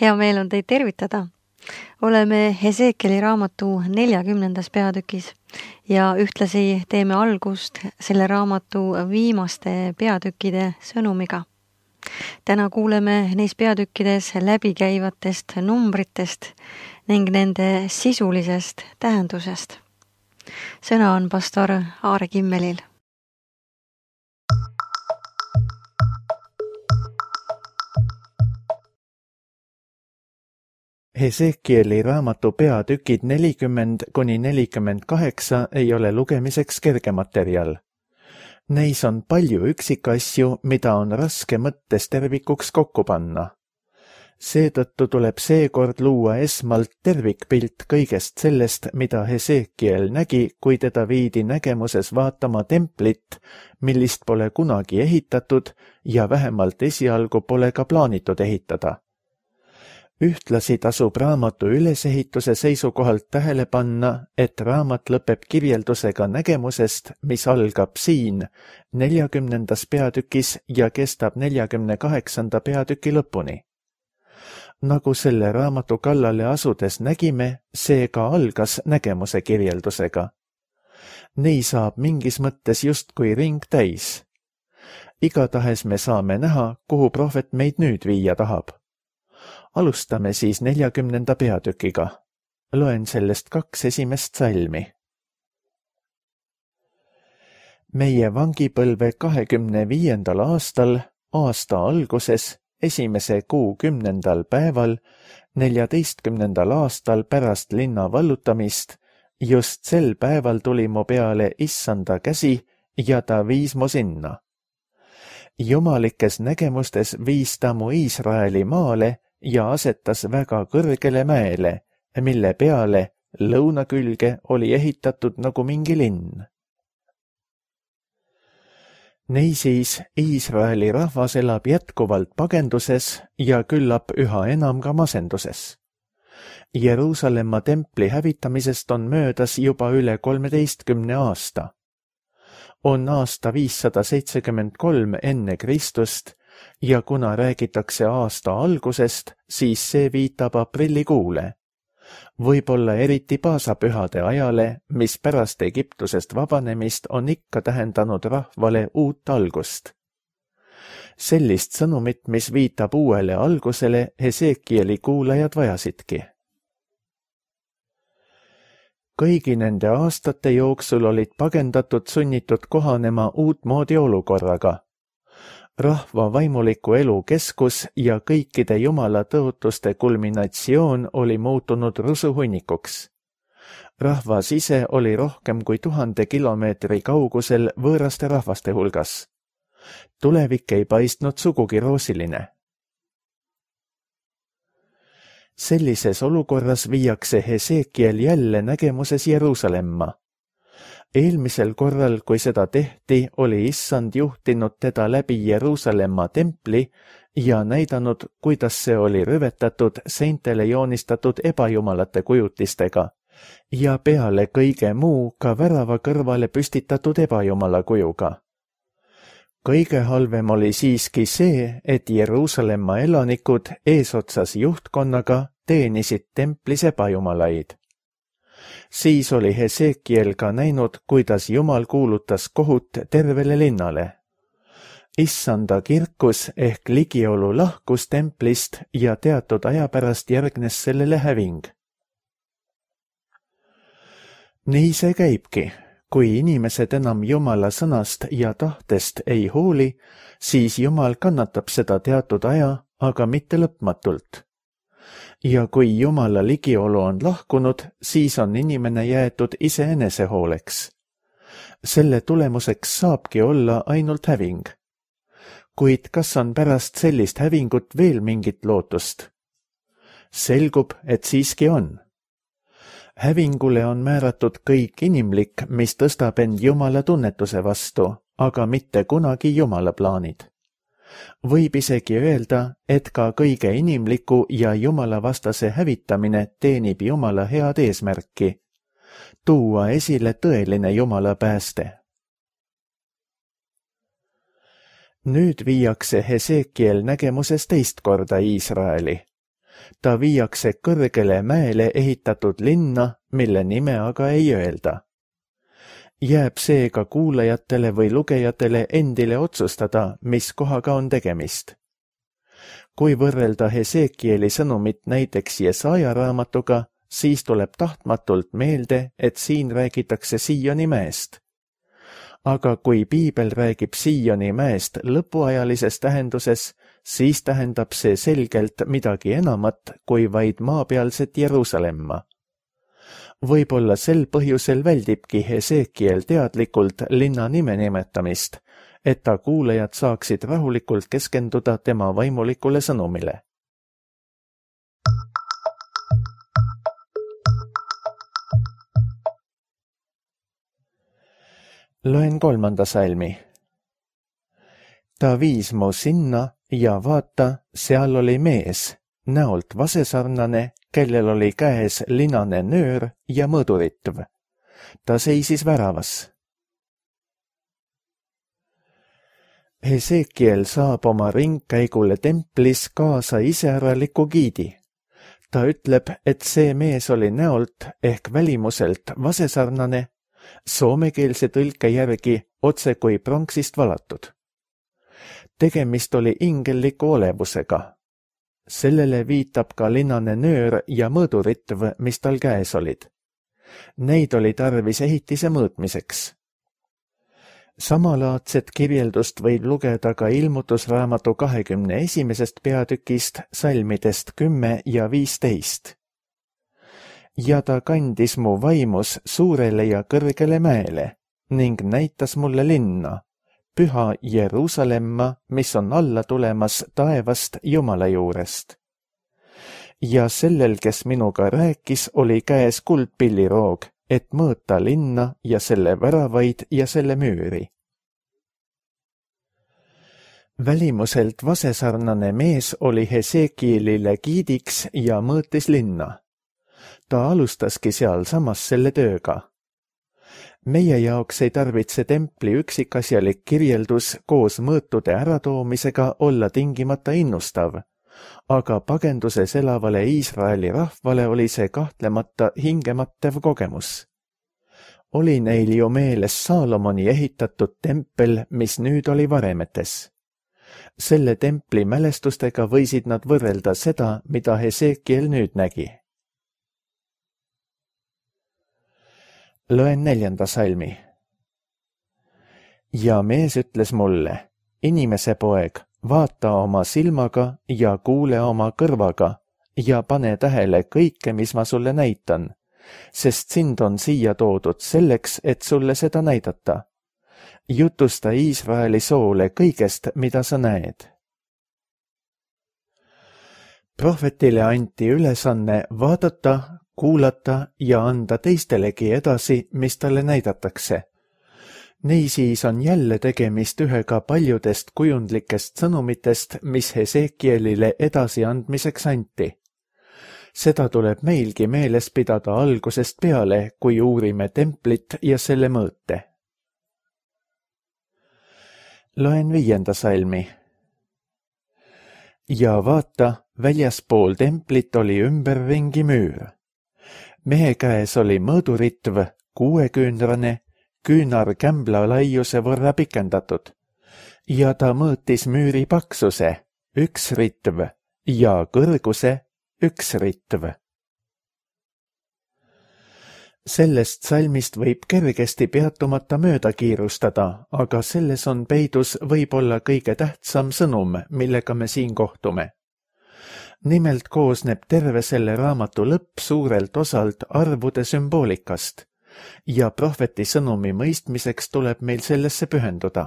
Hea meel on teid tervitada. Oleme Hesekieli raamatu 40. peatükis ja ühtlasi teeme algust selle raamatu viimaste peatükkide sõnumiga. Täna kuuleme neis peatükkides läbikäivatest numbritest ning nende sisulisest tähendusest. Sõna on pastor Aare Kimmelil. Hesekieli raamatu peatükid 40–48 ei ole lugemiseks kerge materjal. Neis on palju üksikasju, mida on raske mõttes tervikuks kokku panna. Seetõttu tuleb seekord luua esmalt tervikpilt kõigest sellest, mida Hesekiel nägi, kui teda viidi nägemuses vaatama templit, millist pole kunagi ehitatud ja vähemalt esialgu pole ka plaanitud ehitada. Ühtlasi tasub raamatu ülesehituse seisukohalt tähele panna, et raamat lõpeb kirjeldusega nägemusest, mis algab siin 40. peatükis ja kestab 48. peatüki lõpuni. Nagu selle raamatu kallale asudes nägime, see ka algas nägemuse kirjeldusega. Nii saab mingis mõttes justkui ring täis. Igatahes me saame näha, kuhu prohvet meid nüüd viia tahab. Alustame siis 40. peatükiga. Loen sellest 2 esimest salmi. Meie vangipõlve 25. aastal, aasta alguses, esimese kuu 10. päeval, 14. aastal pärast linna vallutamist, just sel päeval tuli mu peale Issanda käsi ja ta viis mu sinna. Jumalikes nägemustes viis ta mu Iisraeli maale ja asetas väga kõrgele mäele, mille peale lõuna külge oli ehitatud nagu mingi linn. Niisiis, Iisraeli rahvas elab jätkuvalt pagenduses ja küllap üha enam ka masenduses. Jeruusalemma templi hävitamisest on möödas juba üle 13 aasta. On aasta 573 enne Kristust ja kuna räägitakse aasta algusest, siis see viitab aprillikuule. Võib-olla eriti paasapühade ajale, mis pärast Egiptusest vabanemist on ikka tähendanud rahvale uut algust. Sellist sõnumit, mis viitab uuele algusele, Hesekieli kuulajad vajasidki. Kõigi nende aastate jooksul olid pagendatud sunnitud kohanema uutmoodi olukorraga. Rahva vaimuliku elu keskus ja kõikide jumala tõotuste kulminatsioon oli muutunud rusuhunnikuks. Rahvas ise oli rohkem kui 1000 kilomeetri kaugusel võõraste rahvaste hulgas. Tulevik ei paistnud sugugi roosiline. Sellises olukorras viiakse Hesekiel jälle nägemuses Jeruusalemma. Eelmisel korral, kui seda tehti, oli Issand juhtinud teda läbi Jeruusalemma templi ja näidanud, kuidas see oli rüvetatud seintele joonistatud ebajumalate kujutistega ja peale kõige muu ka värava kõrvale püstitatud ebajumala kujuga. Kõige halvem oli siiski see, et Jeruusalemma elanikud eesotsas juhtkonnaga teenisid templis ebajumalaid. Siis oli Hesekiel ka näinud, kuidas Jumal kuulutas kohut tervele linnale. Issanda kirkus ehk ligiolu lahkus templist ja teatud aja pärast järgnes sellele häving. Nii see käibki. Kui inimesed enam Jumala sõnast ja tahtest ei hooli, siis Jumal kannatab seda teatud aja, aga mitte lõpmatult. Ja kui Jumala ligiolu on lahkunud, siis on inimene jäetud iseenese hooleks. Selle tulemuseks saabki olla ainult häving. Kuid kas on pärast sellist hävingut veel mingit lootust? Selgub, et siiski on. Hävingule on määratud kõik inimlik, mis tõstab end Jumala tunnetuse vastu, aga mitte kunagi Jumala plaanid. Võib isegi öelda, et ka kõige inimliku ja Jumala vastase hävitamine teenib Jumala head eesmärki, tuua esile tõeline Jumala pääste. Nüüd viiakse Hesekiel nägemuses teist korda Iisraeli. Ta viiakse kõrgele mäele ehitatud linna, mille nime aga ei öelda. Jääb seega kuulajatele või lugejatele endile otsustada, mis kohaga on tegemist. Kui võrrelda Hesekieli sõnumit näiteks Jesaja raamatuga, siis tuleb tahtmatult meelde, et siin räägitakse Sioni mäest. Aga kui piibel räägib Sioni mäest lõpuajalises tähenduses, siis tähendab see selgelt midagi enamat kui vaid maapealset Jeruusalemma. Võib-olla sel põhjusel väldibki Hesekiel teadlikult linna nime nimetamist, et ta kuulajad saaksid rahulikult keskenduda tema vaimulikule sõnumile. Loen 3. salmi. Ta viis mu sinna ja vaata, seal oli mees, näolt vasesarnane, kellel oli käes linane nöör ja mõõduritv. Ta seisis väravas. Hesekiel saab oma ringkäigule templis kaasa iseäraliku giidi. Ta ütleb, et see mees oli näolt ehk välimuselt vasesarnane, soomekeelse tõlke järgi otse kui pronksist valatud. Tegemist oli ingelliku olevusega. Sellele viitab ka linane nöör ja mõõduritv, mis tal käes olid. Neid oli tarvis ehitise mõõtmiseks. Samalaadset kirjeldust võib lugeda ka ilmutusraamatu 21. peatükist salmidest 10 ja 15. Ja ta kandis mu vaimus suurele ja kõrgele mäele ning näitas mulle linna, püha Jeruusalemma, mis on alla tulemas taevast Jumala juurest. Ja sellel, kes minuga rääkis, oli käes kuldpilliroog, et mõõta linna ja selle väravaid ja selle müüri. Välimuselt vasesarnane mees oli Hesekielile giidiks ja mõõtis linna. Ta alustaski sealsamas selle tööga. Meie jaoks ei tarvitse templi üksikasjalik kirjeldus koos mõõtude äratoomisega olla tingimata innustav, aga pagenduses elavale Iisraeli rahvale oli see kahtlemata hingemattev kogemus. Oli neil ju meeles Saalomoni ehitatud tempel, mis nüüd oli varemetes. Selle templi mälestustega võisid nad võrrelda seda, mida Hesekiel nüüd nägi. Loen 4. salmi. Ja mees ütles mulle, inimese poeg, vaata oma silmaga ja kuule oma kõrvaga ja pane tähele kõike, mis ma sulle näitan, sest sind on siia toodud selleks, et sulle seda näidata. Jutusta Iisraeli soole kõigest, mida sa näed. Prohvetile anti ülesanne vaadata, kuulata ja anda teistelegi edasi, mis talle näidatakse. Niisiis on jälle tegemist ühega paljudest kujundlikest sõnumitest, mis Hesekielile edasiandmiseks anti. Seda tuleb meilgi meeles pidada algusest peale, kui uurime templit ja selle mõõte. Loen 5. salmi. Ja vaata, väljaspool templit oli ümberringi müür. Mehe käes oli mõõduritv, 6-küünrane, küünar kämbla laiuse võrra pikendatud, ja ta mõõtis müüri paksuse, 1 ritv, ja kõrguse, 1 ritv. Sellest salmist võib kergesti peatumata mööda kiirustada, aga selles on peidus võib-olla kõige tähtsam sõnum, millega me siin kohtume. Nimelt koosneb terve selle raamatu lõpp suurelt osalt arvude sümboolikast ja prohveti sõnumi mõistmiseks tuleb meil sellesse pühenduda.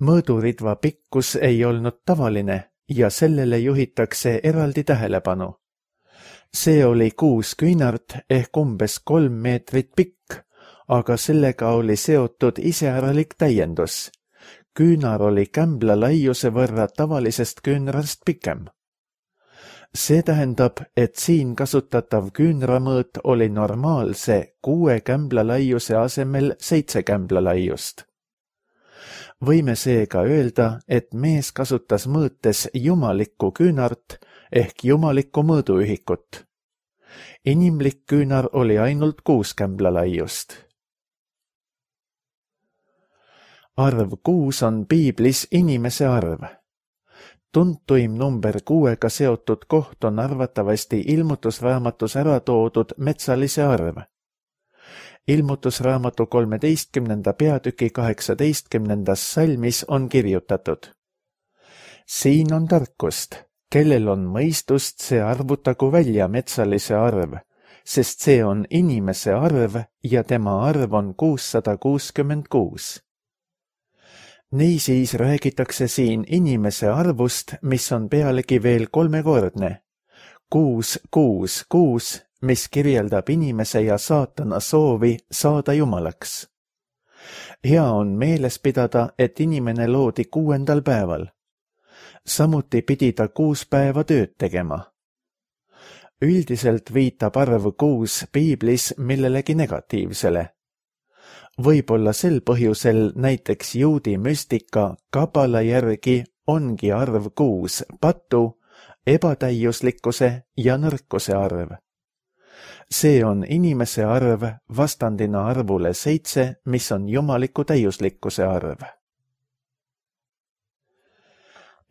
Mõõduridva pikkus ei olnud tavaline ja sellele juhitakse eraldi tähelepanu. See oli 6 küünart ehk umbes 3 meetrit pikk, aga sellega oli seotud iseäralik täiendus. Küünar oli kämbla laiuse võrra tavalisest küünrast pikem. See tähendab, et siin kasutatav küünramõõt oli normaalse 6 kämbla laiuse asemel 7 kämbla laiust. Võime seega öelda, et mees kasutas mõõtes jumalikku küünart ehk jumalikku mõõduühikut. Inimlik küünar oli ainult 6 kämbla laiust. Arv 6 on piiblis inimese arv. Tuntuim number 6-ga seotud koht on arvatavasti ilmutusraamatus ära toodud metsalise arv. Ilmutusraamatu 13. peatüki 18. salmis on kirjutatud. Siin on tarkust, kellel on mõistust, see arvutagu välja metsalise arv, sest see on inimese arv ja tema arv on 666. Niisiis räägitakse siin inimese arvust, mis on pealegi veel 3-kordne. 666, mis kirjeldab inimese ja saatana soovi saada jumalaks. Hea on meeles pidada, et inimene loodi 6. päeval. Samuti pidi ta 6 päeva tööd tegema. Üldiselt viitab arv 6 piiblis millelegi negatiivsele. Võib-olla sel põhjusel näiteks juudi müstika kabala järgi ongi arv 6 patu, ebatäiuslikkuse ja nõrkuse arv. See on inimese arv vastandina arvule 7, mis on jumaliku täiuslikkuse arv.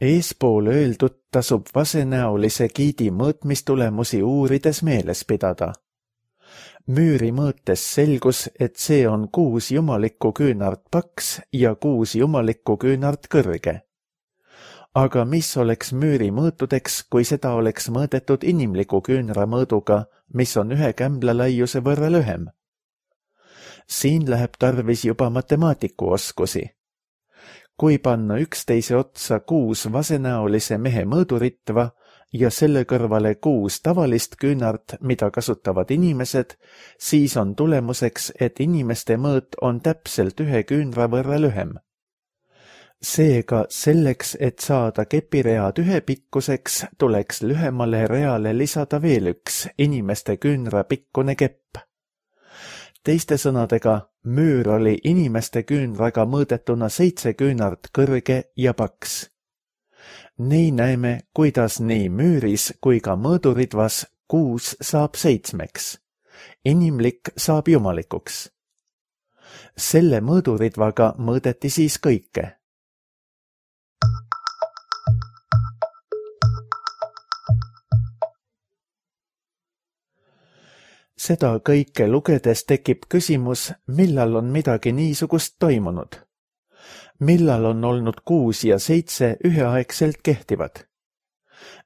Eespool öeldud tasub vasenäolise giidi mõõtmistulemusi uurides meeles pidada. Müüri mõõtes selgus, et see on 6 jumalikku küünart paks ja 6 jumalikku küünart kõrge. Aga mis oleks müüri mõõtudeks, kui seda oleks mõõdetud inimliku küünra mõõduga, mis on 1 kämbla laiuse võrra lühem? Siin läheb tarvis juba matemaatiku oskusi. Kui panna üksteise otsa 6 vasenäolise mehe mõõduritva ja selle kõrvale 6 tavalist küünart, mida kasutavad inimesed, siis on tulemuseks, et inimeste mõõt on täpselt 1 küünra võrra lühem. Seega selleks, et saada kepiread ühepikkuseks, tuleks lühemale reale lisada veel 1 inimeste küünra pikkune kepp. Teiste sõnadega, müür oli inimeste küünraga mõõdetuna 7 küünart kõrge ja paks. Nii näeme, kuidas nii müüris kui ka mõõduritvas 6 saab 7. Inimlik saab jumalikuks. Selle mõõduritvaga mõõdeti siis kõike. Seda kõike lugedes tekib küsimus, millal on midagi niisugust toimunud. Millal on olnud 6 ja 7 üheaegselt kehtivad?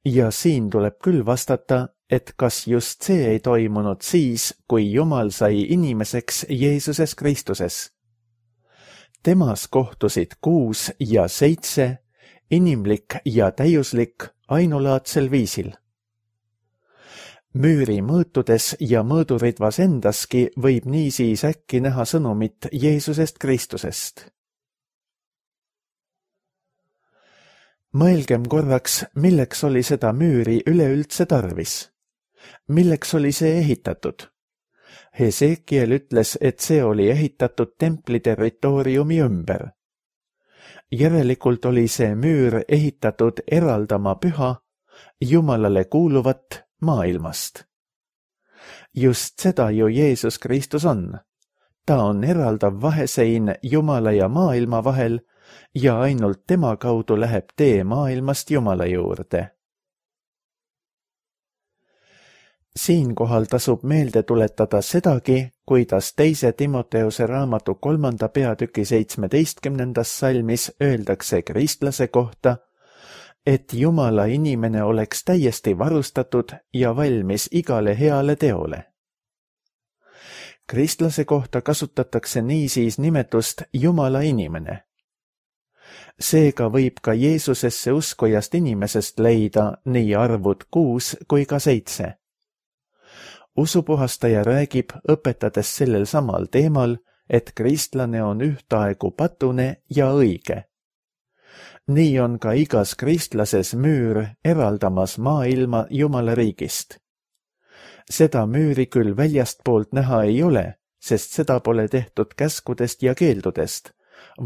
Ja siin tuleb küll vastata, et kas just see ei toimunud siis, kui Jumal sai inimeseks Jeesuses Kristuses. Temas kohtusid 6 ja 7, inimlik ja täiuslik ainulaadsel viisil. Müüri mõõtudes ja mõõduritvas endaski võib niisiis äkki näha sõnumit Jeesusest Kristusest. Mõelgem korraks, milleks oli seda müüri üleüldse tarvis. Milleks oli see ehitatud? Hesekiel ütles, et see oli ehitatud templi territooriumi ümber. Järelikult oli see müür ehitatud eraldama püha, Jumalale kuuluvat maailmast. Just seda ju Jeesus Kristus on. Ta on eraldav vahesein Jumala ja maailma vahel ja ainult tema kaudu läheb tee maailmast Jumala juurde. Siinkohal tasub meelde tuletada sedagi, kuidas 2. Timoteuse raamatu 3. peatüki 17. salmis öeldakse kristlase kohta, et Jumala inimene oleks täiesti varustatud ja valmis igale heale teole. Kristlase kohta kasutatakse niisiis nimetust Jumala inimene. Seega võib ka Jeesusesse uskujast inimesest leida nii arvud 6 kui ka 7. Usupuhastaja räägib, õpetades sellel samal teemal, et kristlane on ühtaegu patune ja õige. Nii on ka igas kristlases müür eraldamas maailma Jumala riigist. Seda müüri küll väljastpoolt näha ei ole, sest seda pole tehtud käskudest ja keeldudest,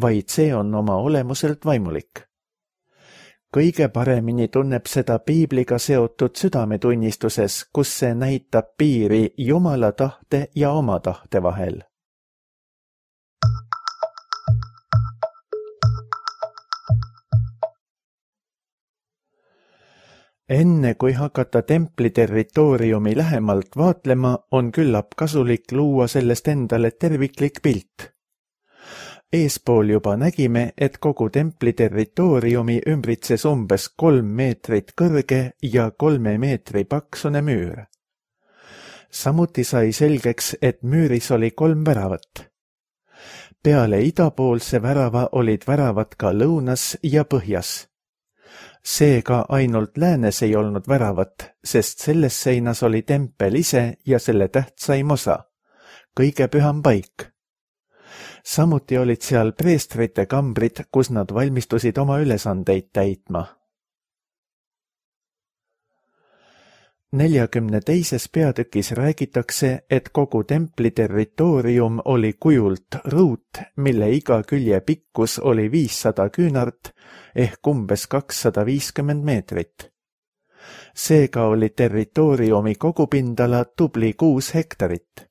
vaid see on oma olemuselt vaimulik. Kõige paremini tunneb seda piibliga seotud südametunnistuses, kus see näitab piiri Jumala tahte ja oma tahte vahel. Enne kui hakata templi territooriumi lähemalt vaatlema, on küllap kasulik luua sellest endale terviklik pilt. Eespool juba nägime, et kogu templi territooriumi ümbritses umbes 3 meetrit kõrge ja 3 meetri paksune müür. Samuti sai selgeks, et müüris oli 3 väravat. Peale idapoolse värava olid väravad ka lõunas ja põhjas. Seega ainult läänes ei olnud väravat, sest selles seinas oli tempel ise ja selle tähtsaim osa, kõige püham paik. Samuti olid seal preestrite kambrid, kus nad valmistusid oma ülesandeid täitma. 42. peatükis räägitakse, et kogu templi territoorium oli kujult ruut, mille iga külje pikkus oli 500 küünart ehk umbes 250 meetrit. Seega oli territooriumi kogupindala tubli 6 hektarit.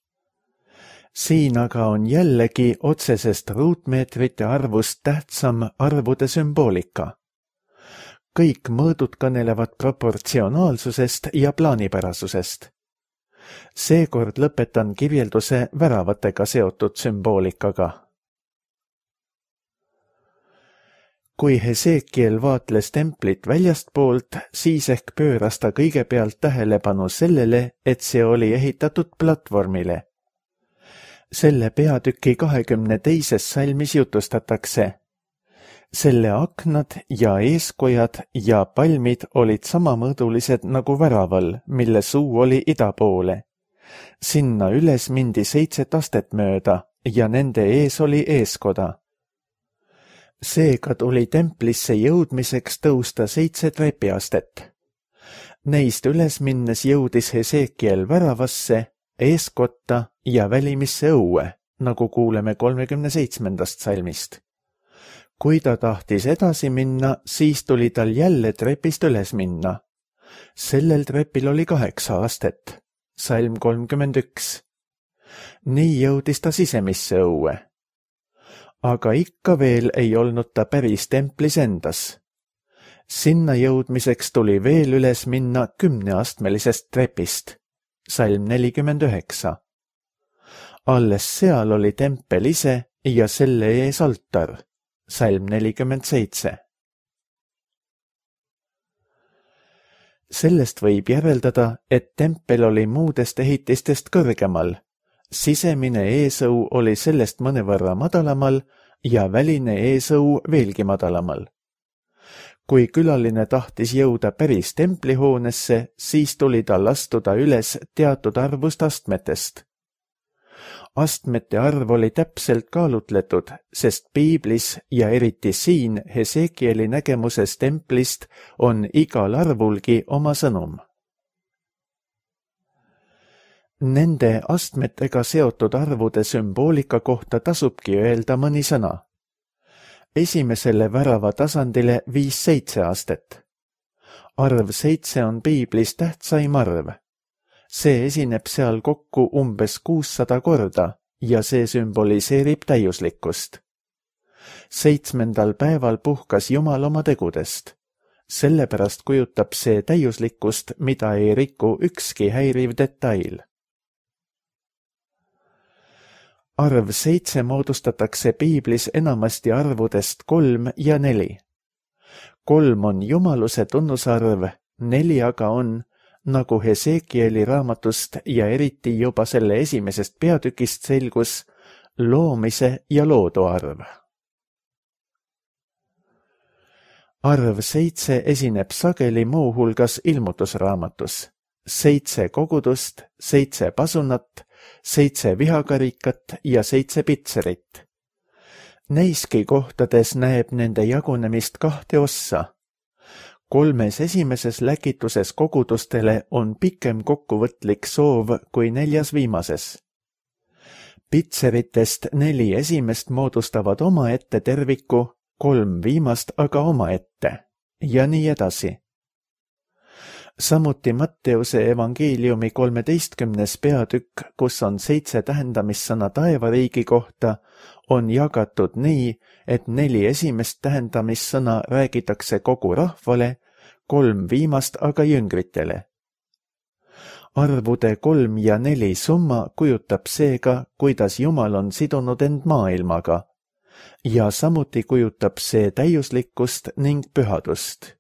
Siin aga on jällegi otsesest ruutmeetrite arvust tähtsam arvude sümboolika. Kõik mõõdud kõnelevad proportsionaalsusest ja plaanipärasusest. Seekord lõpetan kirjelduse väravatega seotud sümboolikaga. Kui Hesekiel vaatles templit väljastpoolt, siis ehk pööras ta kõigepealt tähelepanu sellele, et see oli ehitatud platvormile. Selle peatüki 22. salmis jutustatakse. Selle aknad ja eeskojad ja palmid olid samamõõdulised nagu väraval, mille suu oli ida poole. Sinna üles mindi 7 astet mööda ja nende ees oli eeskoda. Seega tuli templisse jõudmiseks tõusta 7 trepiastet. Neist üles minnes jõudis Hesekiel väravasse, eeskotta ja välimisse õue, nagu kuuleme 37. salmist. Kui ta tahtis edasi minna, siis tuli tal jälle trepist üles minna. Sellel trepil oli 8 astet, salm 31. Nii jõudis ta sisemisse õue. Aga ikka veel ei olnud ta päris templis endas. Sinna jõudmiseks tuli veel üles minna 10-astmelisest trepist, salm 49. Alles seal oli tempel ise ja selle ees altar, salm 47. Sellest võib järeldada, et tempel oli muudest ehitistest kõrgemal. Sisemine eesõu oli sellest mõnevõrra madalamal ja väline eesõu veelgi madalamal. Kui külaline tahtis jõuda päris templihoonesse, siis tuli tal astuda üles teatud arvust astmetest. Astmete arv oli täpselt kaalutletud, sest piiblis ja eriti siin Hesekieli nägemuses templist on igal arvulgi oma sõnum. Nende astmetega seotud arvude sümboolika kohta tasubki öelda mõni sõna. Esimesele värava tasandile 5-7 astet. Arv 7 on piiblis tähtsaim arv. See esineb seal kokku umbes 600 korda ja see sümboliseerib täiuslikkust. 7. päeval puhkas Jumal oma tegudest. Sellepärast kujutab see täiuslikkust, mida ei riku ükski häiriv detail. Arv 7 moodustatakse piiblis enamasti arvudest 3 ja 4. 3 on jumaluse tunnusarv, 4 aga on, nagu Hesekieli raamatust ja eriti juba selle esimesest peatükist selgus, loomise ja loodu arv. Arv 7 esineb sageli muuhulgas ilmutusraamatus. 7 kogudust, 7 pasunat, 7 vihakarikat ja 7 pitserit. Neiski kohtades näeb nende jagunemist 2 ossa. 3 esimeses läkituses kogudustele on pikem kokkuvõtlik soov kui 4 viimases. Pitseritest 4 esimest moodustavad omaette terviku, 3 viimast aga omaette ja nii edasi. Samuti Matteuse evangeeliumi 13. peatükk, kus on 7 tähendamissõna taevariigi kohta, on jagatud nii, et 4 esimest tähendamissõna räägitakse kogu rahvale, 3 viimast aga jüngritele. Arvude 3 ja 4 summa kujutab seega, kuidas Jumal on sidunud end maailmaga, ja samuti kujutab see täiuslikkust ning pühadust.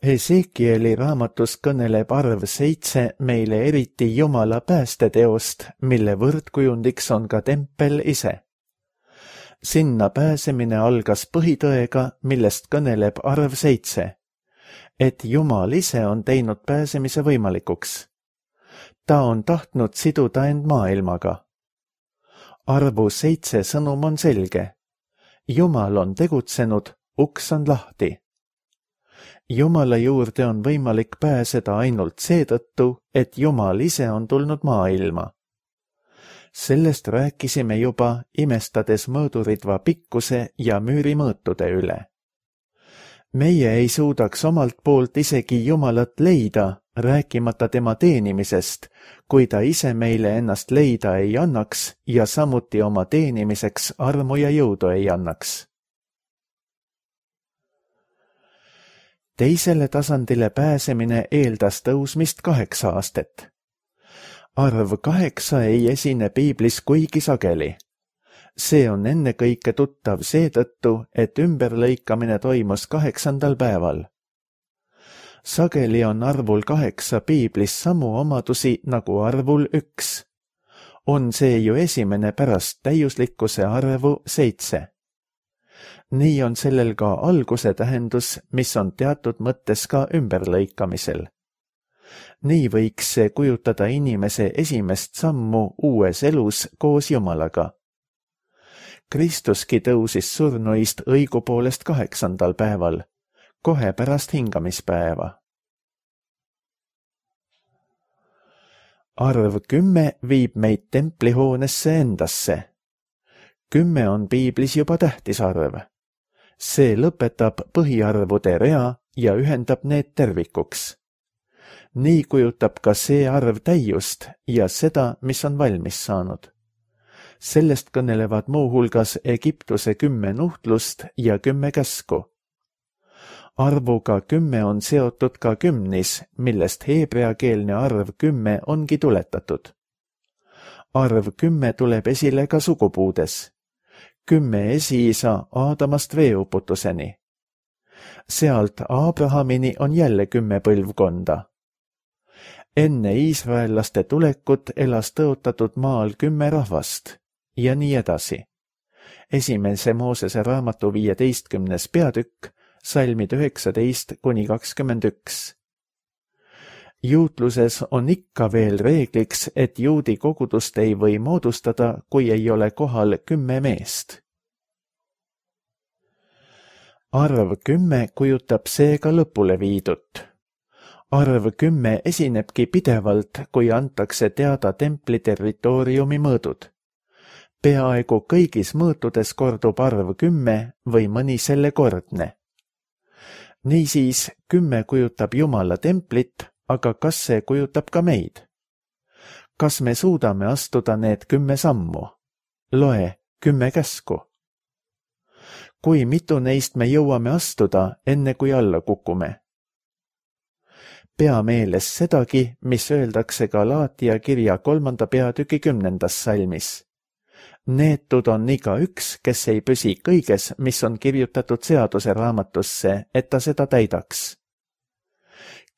Hesekieli raamatus kõneleb arv 7 meile eriti Jumala päästeteost, mille võrdkujundiks on ka tempel ise. Sinna pääsemine algas põhitõega, millest kõneleb arv 7, et Jumal ise on teinud pääsemise võimalikuks. Ta on tahtnud siduda end maailmaga. Arvu 7 sõnum on selge. Jumal on tegutsenud, uks on lahti. Jumala juurde on võimalik pääseda ainult seetõttu, et Jumal ise on tulnud maailma. Sellest rääkisime juba, imestades mõõduridva pikkuse ja müürimõõtude üle. Meie ei suudaks omalt poolt isegi Jumalat leida, rääkimata tema teenimisest, kui ta ise meile ennast leida ei annaks ja samuti oma teenimiseks armu ja jõudu ei annaks. Teisele tasandile pääsemine eeldas tõusmist 8 aastat. Arv 8 ei esine piiblis kuigi sageli. See on ennekõike tuttav seetõttu, et ümberlõikamine toimus 8. päeval. Sageli on arvul 8 piiblis samu omadusi nagu arvul 1. On see ju esimene pärast täiuslikkuse arvu 7. Nii on sellel ka alguse tähendus, mis on teatud mõttes ka ümberlõikamisel. Nii võiks see kujutada inimese esimest sammu uues elus koos Jumalaga. Kristuski tõusis surnuist õigupoolest 8. päeval, kohe pärast hingamispäeva. Arv 10 viib meid templihoonesse endasse. 10 on piiblis juba tähtis arv. See lõpetab põhiarvude rea ja ühendab need tervikuks. Nii kujutab ka see arv täiust ja seda, mis on valmis saanud. Sellest kõnelevad muuhulgas Egiptuse 10 nuhtlust ja 10 käsku. Arvuga 10 on seotud ka kümnis, millest heebreakeelne arv 10 ongi tuletatud. Arv 10 tuleb esile ka sugupuudes. 10 esiisa Aadamast veeuputuseni. Sealt Abrahamini on jälle 10 põlvkonda. Enne iisraellaste tulekut elas tõotatud maal 10 rahvast ja nii edasi. Esimese Moosese raamatu 15. peatükk, salmid 19–21. Juutluses on ikka veel reegliks, et juudi kogudust ei või moodustada, kui ei ole kohal 10 meest. Arv 10 kujutab seega lõpule viidut. Arv 10 esinebki pidevalt, kui antakse teada templi territooriumi mõõdud. Peaaegu kõigis mõõtudes kordub arv 10 või mõni selle kordne. Niisiis 10 kujutab Jumala templit, aga kas see kujutab ka meid? Kas me suudame astuda need 10 sammu? Loe 10 käsku. Kui mitu neist me jõuame astuda, enne kui alla kukume? Pea meeles sedagi, mis öeldakse Galaatia kirja 3. peatüki 10. salmis. Neetud on igaüks, kes ei püsi kõiges, mis on kirjutatud seaduse raamatusse, et ta seda täidaks.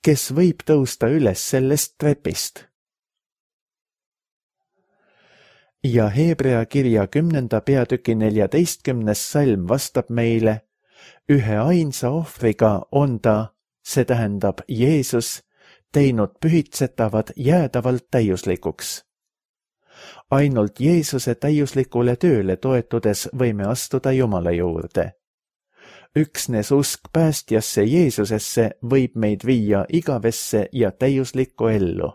Kes võib tõusta üles sellest trepist? Ja Hebrea kirja 10. peatüki 14. salm vastab meile, ühe ainsa ohvriga on ta, see tähendab Jeesus, teinud pühitsetavad jäädavalt täiuslikuks. Ainult Jeesuse täiuslikule tööle toetudes võime astuda Jumala juurde. Üksnes usk päästjasse Jeesusesse võib meid viia igavesse ja täiuslikku ellu.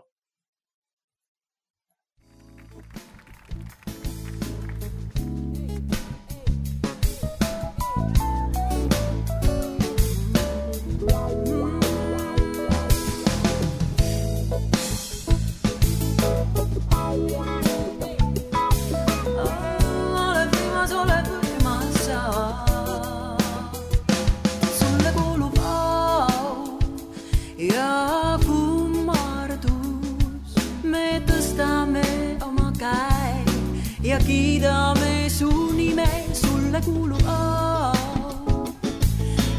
Ja kiidame su nime, sulle kuulub au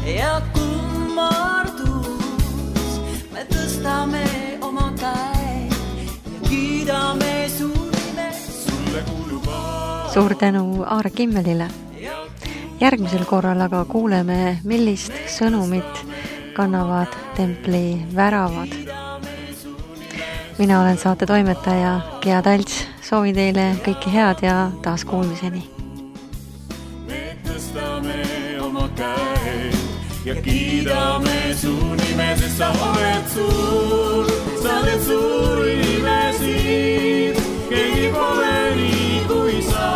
ja kummardus. Me tõstame oma käe ja kiidame su nime, sulle kuulub au. Suur tänu Aare Kimmelile. Järgmisel korral aga kuuleme, millist sõnumit kannavad templi väravad. Mina olen saate toimetaja Gea Talts. Soovin teile kõike head ja taas kuulmiseni. Me tõstame oma käe ja kiidame su nime, sest sa oled suur. Sa oled suur imesid, keegi pole nii kui sa.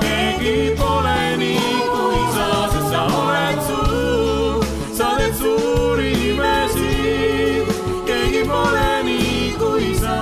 Keegi pole nii kui sa, sest sa oled suur. Sa oled suur imesid, keegi pole nii kui sa.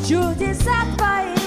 Чудеса твои